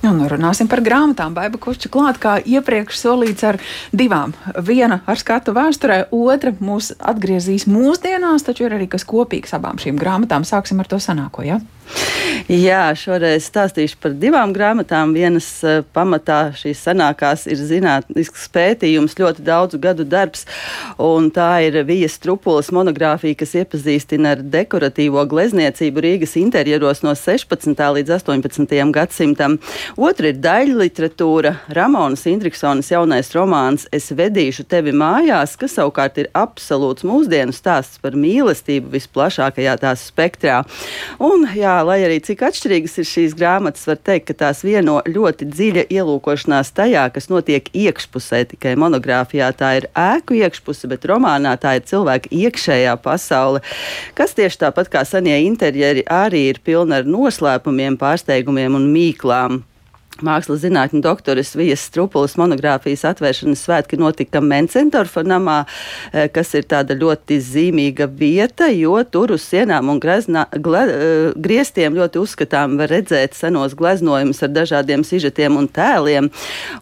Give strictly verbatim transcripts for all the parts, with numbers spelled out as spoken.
Un runāsim par grāmatām. Baiba Kušča klāt, kā iepriekš solīts, ar divām. Viena ar skatu vēsturē, otra mūs atgriezīs mūsdienās, taču ir arī kas kopīgs abām šīm grāmatām. Sāksim ar to senāko, ja? Jā, šoreiz stāstīšu par divām grāmatām. Vienas uh, pamatā šīs senākās ir zinātnisks pētījums, ļoti daudzu gadu darbs, un tā ir Vijas Strupules monogrāfija, kas iepazīstina ar dekoratīvo glezniecību Rīgas interjeros no sešpadsmitā līdz astoņpadsmitajam gadsimtam. Otra ir daļu literatūra, Ramonas Indriksonas jaunais romāns Es vedīšu tevi mājās, kas savukārt ir absolūts mūsdienu stāsts par mīlestību visplašākajā tās spektrā. Un, jā, lai arī cik atšķirīgas ir šīs grāmatas, var teikt, ka tās vieno ļoti dziļa ielūkošanās tajā, kas notiek iekšpusē. Tikai monogrāfijā tā ir ēku iekšpuse, bet romānā tā ir cilvēka iekšējā pasaule, kas tieši tāpat kā senie interjeri arī ir pilna ar noslēpumiem, pārsteigumiem un mīklām. Mākslas zinātņu doktoras Vijas Strupules monogrāfijas atvēršanas svētki notika Mencendorfa namā, kas ir tāda ļoti zīmīga vieta, jo tur uz sienām un greznā, gle, griestiem ļoti uzskatām var redzēt senos gleznojumus ar dažādiem sižetiem un tēliem.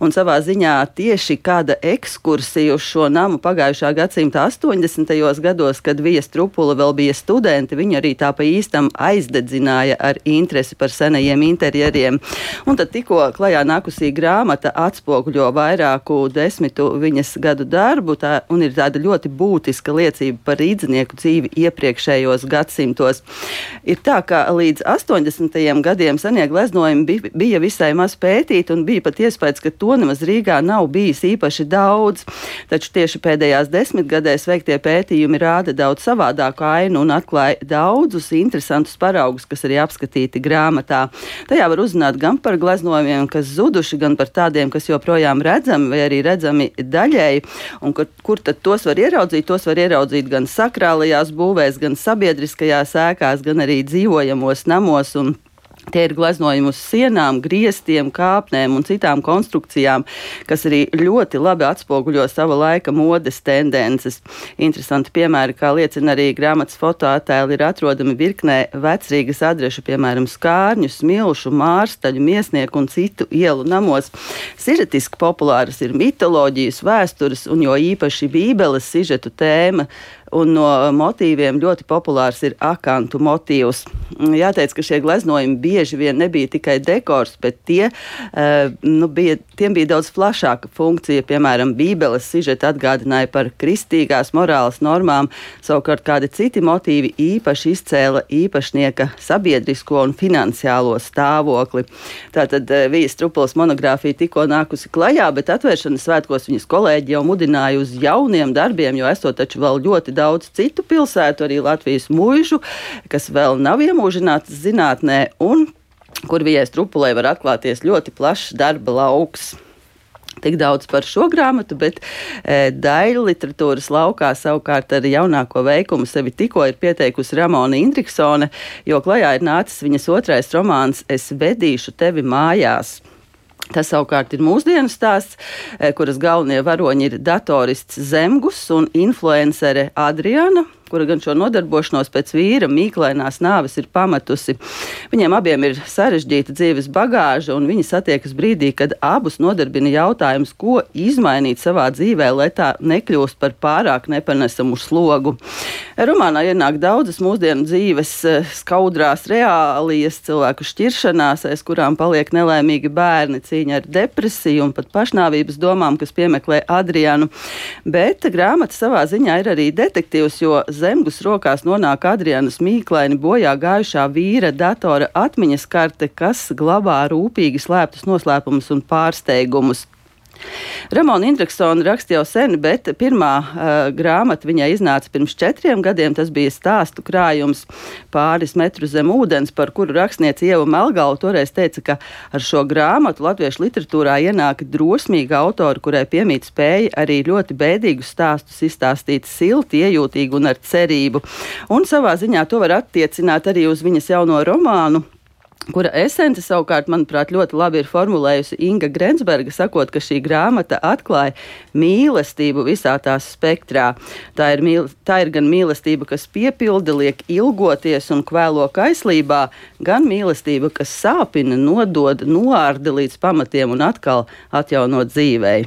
Un savā ziņā tieši kāda ekskursija uz šo namu pagājušā gadsimta astoņdesmitajos gados, kad Vija Strupule vēl bija studenti, viņa arī tā pa īstam aizdedzināja ar interesi par senajiem interjeriem. Un tad tikko klajā nākusī grāmata atspoguļo vairāku desmitu viņas gadu darbu tā, un ir tāda ļoti būtiska liecība par rīdzinieku dzīvi iepriekšējos gadsimtos. Ir tā, ka līdz astoņdesmitajiem gadiem senie gleznojumi bija, bija visai maz pētīti un bija pat iespējas, ka to nemaz Rīgā nav bijis īpaši daudz. Taču tieši pēdējās desmitgadēs veiktie pētījumi rāda daudz savādāku ainu un atklāja daudzus interesantus paraugus, kas arī apskatīti grāmatā. Tajā var uzzināt gan par gleznojumiem, kas zuduši, gan par tādiem, kas joprojām redzami vai arī redzami daļēji, un kur, kur tad tos var ieraudzīt? Tos var ieraudzīt gan sakrālajās būvēs, gan sabiedriskajās ēkās, gan arī dzīvojamos namos, un tie ir gleznojumi uz sienām, griestiem, kāpnēm un citām konstrukcijām, kas arī ļoti labi atspoguļo sava laika modes tendences. Interesanti piemēri, kā liecina arī grāmatas fotoattēli, ir atrodami virknē vecrīgas adrešu, piemēram, Skārņu, Smilšu, Mārstaļu, Miesnieku un citu ielu namos. Sižetiski populāras ir mitoloģijas, vēstures un jo īpaši Bībeles sižetu tēma, un no motīviem ļoti populārs ir akantu motīvs. Jāteic, ka šie gleznojumi bieži vien nebija tikai dekors, bet tie, uh, nu, bija, tiem bija daudz plašāka funkcija. Piemēram, Bībeles sižeti atgādināja par kristīgās morāles normām, savukārt kādi citi motīvi īpaši izcēla īpašnieka sabiedrisko un finansiālo stāvokli. Tātad uh, Vijas Strupules monogrāfija tikko nākusi klajā, bet atvēršanas svētkos viņas kolēģi jau mudināja uz jauniem darbiem, jo esot taču vēl ļoti daudz citu pilsētu, arī Latvijas muižu, kas vēl nav iemūžinātas zinātnē un kur Vijai Strupulei var atklāties ļoti plašs darba lauks. Tik daudz par šo grāmatu, bet e, daļu literatūras laukā savukārt ar jaunāko veikumu sevi tikko ir pieteikusi Ramona Indriksone, jo klajā ir nācis viņas otrais romāns Es vedīšu tevi mājās. Tas savukārt ir mūsdienu stāsts, kuras galvenie varoņi ir datorists Zemgus un influencere Adriana, kura gan šo nodarbošanos pēc vīra mīklainās nāves ir pametusi. Viņiem abiem ir sarežģīta dzīves bagāža, un viņi satiekas brīdī, kad abus nodarbina jautājums, ko izmainīt savā dzīvē, lai tā nekļūst par pārāk nepanesamu slogu. Romānā ienāk daudzas mūsdienu dzīves skaudrās reālijas, cilvēku šķiršanās, aiz kurām paliek nelaimīgi bērni, cīņa ar depresiju un pat pašnāvības domām, kas piemeklē Adrianu. Bet grāmata savā ziņā ir arī detektīvs, jo Zemgus rokās nonāk Adrianas mīklaini bojā gājušā vīra datora atmiņas karte, kas glabā rūpīgi slēptus noslēpumus un pārsteigumus. Ramona Indriksone raksta jau sen, bet pirmā uh, grāmata viņai iznāca pirms četriem gadiem. Tas bija stāstu krājums Pāris metru zem ūdens, par kuru rakstniece Ieva Melgala toreiz teica, ka ar šo grāmatu latviešu literatūrā ienāk drosmīga autora, kurai piemīt spēja arī ļoti bēdīgus stāstus izstāstīt silti, iejūtīgi un ar cerību. Un savā ziņā to var attiecināt arī uz viņas jauno romānu kura esence savukārt, manuprāt, ļoti labi ir formulējusi Inga Grensberga, sakot, ka šī grāmata atklāja mīlestību visā tās spektrā. Tā ir, mīl, tā ir gan mīlestība, kas piepilda, liek ilgoties un kvēlo kaislībā, gan mīlestība, kas sāpina, nodod, noārda līdz pamatiem un atkal atjaunot dzīvei.